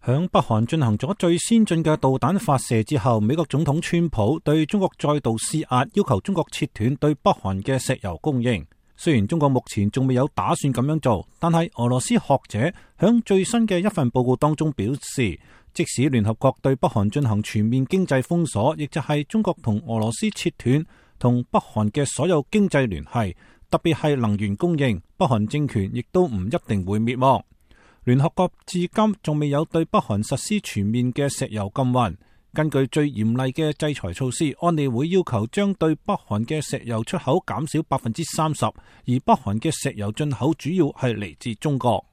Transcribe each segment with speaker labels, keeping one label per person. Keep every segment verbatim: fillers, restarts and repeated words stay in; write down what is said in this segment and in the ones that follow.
Speaker 1: 響北韓進行咗最先進嘅導彈發射之後，美國總統川普對中國再度施壓，要求中國切斷對北韓嘅石油供應。雖然中國目前仲未有打算咁樣做，但係俄羅斯學者響最新嘅一份報告當中表示，即使聯合國對北韓進行全面經濟封鎖，亦就係中國同俄羅斯切斷同北韓嘅所有經濟聯繫，特別係能源供應，北韓政權亦都唔一定會滅亡。聯合國至今仲未有對北韓實施全面嘅石油禁運。根據最嚴厲嘅制裁措施，安理會要求將對北韓嘅石油出口減少百分之三十，而北韓嘅石油進口主要係嚟自中國。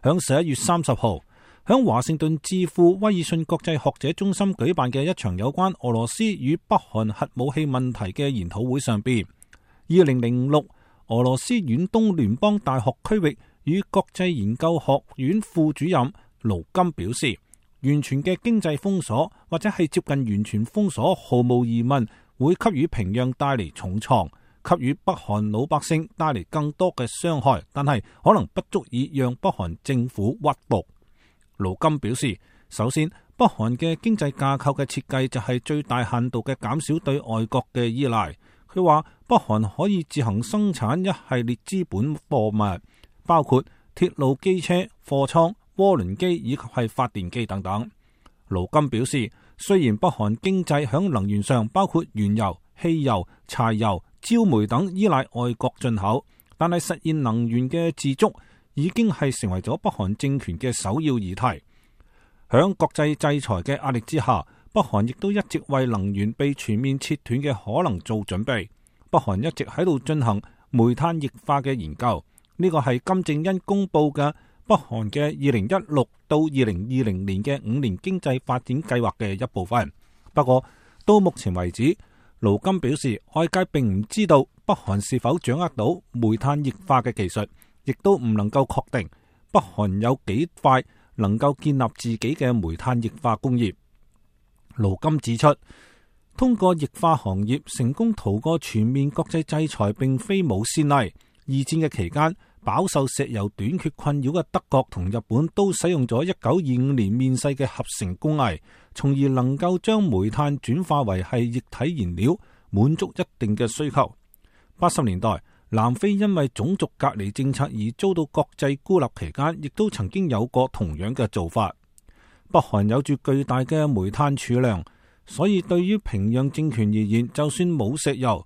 Speaker 1: 響十一月三十號，響華盛頓智庫威爾遜國際學者中心舉辦嘅一場有關俄羅斯與北韓核武器問題嘅研討會上邊，二零零六俄羅斯遠東聯邦大學區域與國際研究學院副主任盧金表示，完全嘅經濟封鎖或者係接近完全封鎖，毫無疑問會給予平壤帶嚟重創，給予北韓老百姓帶嚟更多嘅傷害，但係可能不足以讓北韓政府屈服。盧金表示，首先，北韓嘅經濟架構嘅設計就係最大限度嘅減少對外國嘅依賴。佢話北韓可以自行生產一系列資本貨物，包括鐵路、機車、貨倉、渦輪機以及係發電機等等。盧金表示，雖然北韓經濟響能源上包括原油、汽油、柴油、焦煤等依賴外國進口，但係實現能源嘅自足已經係成為咗北韓政權嘅首要議題。響國際制裁嘅壓力之下，北韓亦都一直為能源被全面切斷嘅可能做準備。北韓一直喺度進行煤炭液化嘅研究，呢個係金正恩公布嘅北韓嘅二零一六到二零二零年嘅五年經濟發展計劃嘅一部分。不過到目前為止，盧金表示，外界並唔知道北韓是否掌握到煤炭液化嘅技術，亦都唔能夠確定北韓有幾快能夠建立自己嘅煤炭液化工業。盧金指出，通過液化行業成功逃過全面國際制裁並非冇先例。二戰嘅期間，飽受石油短缺困擾嘅德國同日本都使用咗一九二五年面世嘅合成工藝，從而能夠將煤炭轉化為係液體燃料，滿足一定嘅需求。八十年代，南非因為種族隔離政策而遭到國際孤立期間，亦都曾經有過同樣嘅做法。北韓有住巨大嘅煤炭儲量，所以對於平壤政權而言，就算冇石油，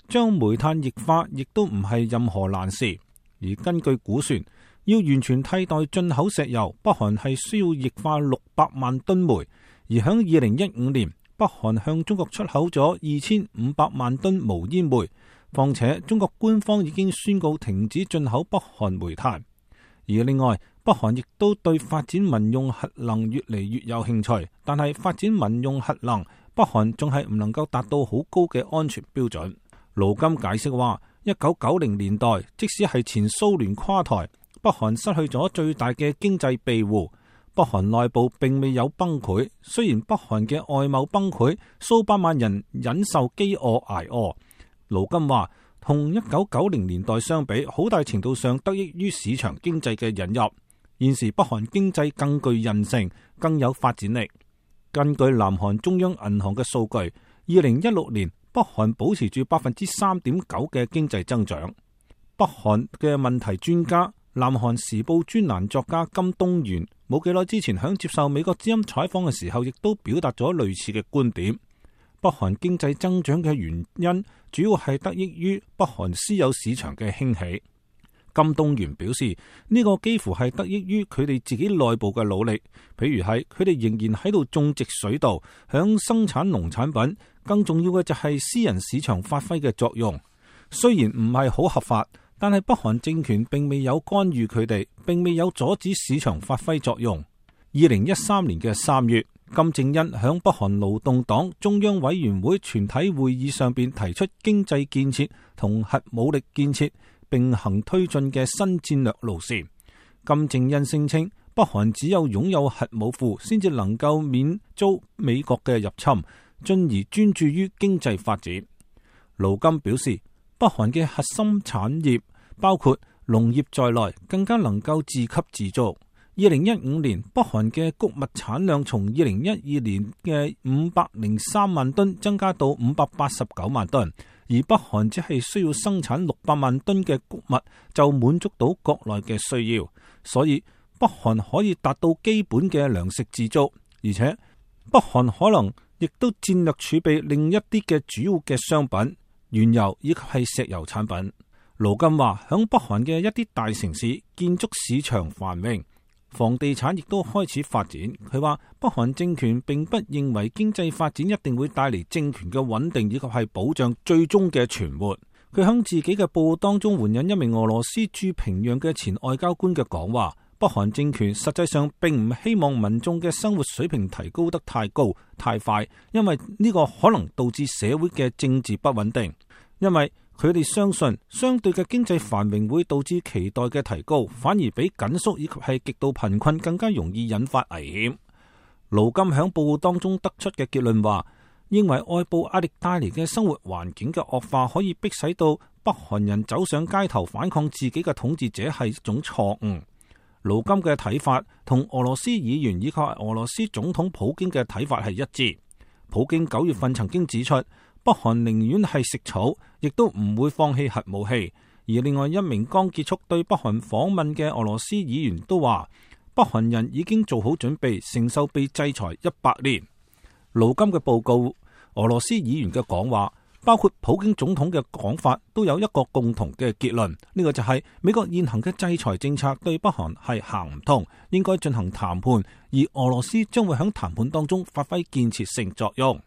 Speaker 1: 將煤炭液化亦都唔係任何難事。而根據估算，要完全替代進口石油，北韓係需要液化六百萬噸煤。而響二零一五年，北韓向中國出口咗二千五百萬噸無煙煤。況且中國官方已經宣告停止進口北韓煤炭。而另外，北韓亦都對發展民用核能越嚟越有興趣，但係發展民用核能，北韓仲係唔能夠達到好高嘅安全標準。盧金解釋話，一九九零年代，即使係前蘇聯垮台，北韓失去咗最大嘅經濟庇護，北韓內部並未有崩潰。雖然北韓嘅外貿崩潰，數百萬人忍受飢餓挨餓。盧金話，同一九九零年代相比，好大程度上得益於市場經濟嘅引入。現時北韓經濟更具韌性，更有發展力。根據南韓中央銀行嘅數據，二零一六年北韓保持住百分之三點九嘅經濟增長。北韓嘅問題專家、南韓時報專欄作家金東元冇幾耐之前響接受美國之音採訪嘅時候，亦都表達咗類似嘅觀點。北韓經濟增長嘅原因主要係得益於北韓私有市場嘅興起。金東元表示，呢個幾乎係得益於佢哋自己內部嘅努力，譬如係佢哋仍然喺度種植水稻，響生產農產品。更重要嘅就係私人市場發揮嘅作用。雖然唔係好合法，但係北韓政權並未有干預佢哋，並未有阻止市場發揮作用。二零一三年嘅三月，金正恩響北韓勞動黨中央委員會全體會議上邊提出經濟建設同核武力建設並行推進嘅新戰略路線。金正恩聲稱，北韓只有擁有核武庫，先至能夠免遭美國嘅入侵，進而專注於經濟發展。盧金表示，北韓嘅核心產業包括農業在內，更加能夠自給自足。二零一五年北韓嘅穀物產量從二零一二年嘅五百零三萬噸增加到五百八十九萬噸，而北韓只係需要生產六百萬噸嘅穀物就滿足到國內嘅需要，所以北韓可以達到基本嘅糧食自足，而且北韓可能亦都戰略儲備另一啲嘅主要嘅商品、原油以及係石油產品。盧金話，響北韓嘅一啲大城市，建築市場繁榮，房地產亦都開始發展。佢話北韓政權並不認為經濟發展一定會帶嚟政權嘅穩定以及係保障最終嘅存活。佢響自己嘅報告當中援引一名俄羅斯駐平壤嘅前外交官嘅講話，北韓政權實際上並唔希望民眾嘅生活水平提高得太高太快，因為呢個可能導致社會嘅政治不穩定。因為佢哋相信相對嘅經濟繁榮會導致期待嘅提高，反而比緊縮以及係極度貧困更加容易引發危險。盧金響報告當中得出嘅結論話，認為外部壓力帶嚟嘅生活環境嘅惡化可以迫使到北韓人走上街頭反抗自己嘅統治者係一種錯誤。盧金嘅睇法同俄羅斯議員以及俄羅斯總統普京嘅睇法係一致。普京九月份曾經指出，北韓寧願係食草，亦都唔會放棄核武器。而另外一名剛結束對北韓訪問嘅俄羅斯議員都話，北韓人已經做好準備承受被制裁一百年。盧金嘅報告，俄羅斯議員嘅講話，包括普京總統嘅講法，都有一個共同嘅結論，呢、這個就係美國現行嘅制裁政策對北韓係行唔通，應該進行談判，而俄羅斯將會喺談判當中發揮建設性作用。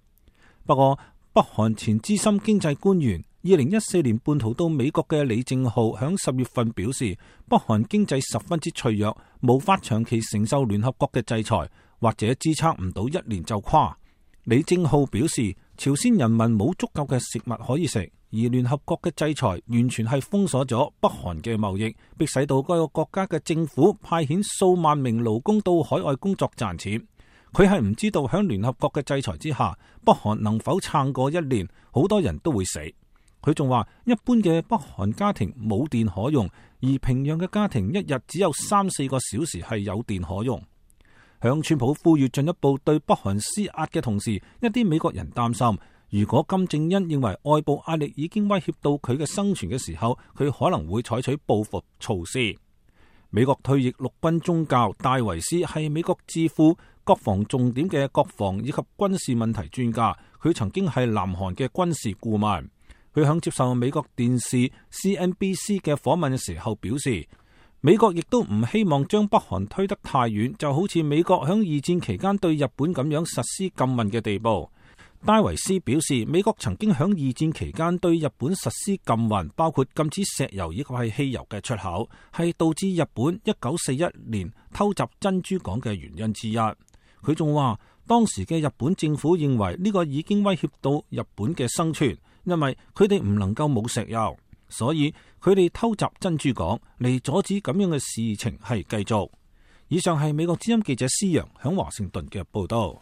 Speaker 1: 不過，北韓前資深經濟官員二零一四年叛逃到美國嘅李正浩響十月份表示，北韓經濟十分之脆弱，無法長期承受聯合國嘅制裁，或者支撐唔到一年就垮。李正浩表示，朝鮮人民冇足夠嘅食物可以食，而聯合國嘅制裁完全係封鎖咗北韓嘅貿易，迫使到該個國家嘅政府派遣數萬名勞工到海外工作賺錢。佢係唔知道響聯合國嘅制裁之下，北韓能否撐過一年，好多人都會死。佢仲話，一般嘅北韓家庭冇電可用，而平壤嘅家庭一日只有三四個小時係有電可用。向川普呼籲進一步對北韓施壓嘅同時，一啲美國人擔心，如果金正恩認為外部壓力已經威脅到佢嘅生存嘅時候，佢可能會採取報復措施。美國退役陸軍中校戴維斯係美國智庫國防重點嘅國防以及軍事問題專家，佢曾經係南韓嘅軍事顧問。佢響接受美國電視 C N B C 嘅訪問嘅時候表示，美國亦都唔希望將北韓推得太遠，就好似美國響二戰期間對日本咁樣實施禁運嘅地步。戴維斯表示，美國曾經響二戰期間對日本實施禁運，包括禁止石油以及係汽油嘅出口，係導致日本一九四一年偷襲珍珠港嘅原因之一。佢仲話，當時嘅日本政府認為呢個已經威脅到日本嘅生存，因為佢哋唔能夠冇石油，所以佢哋偷襲珍珠港嚟阻止咁樣嘅事情係繼續。以上係美國之音記者施洋響華盛頓嘅報道。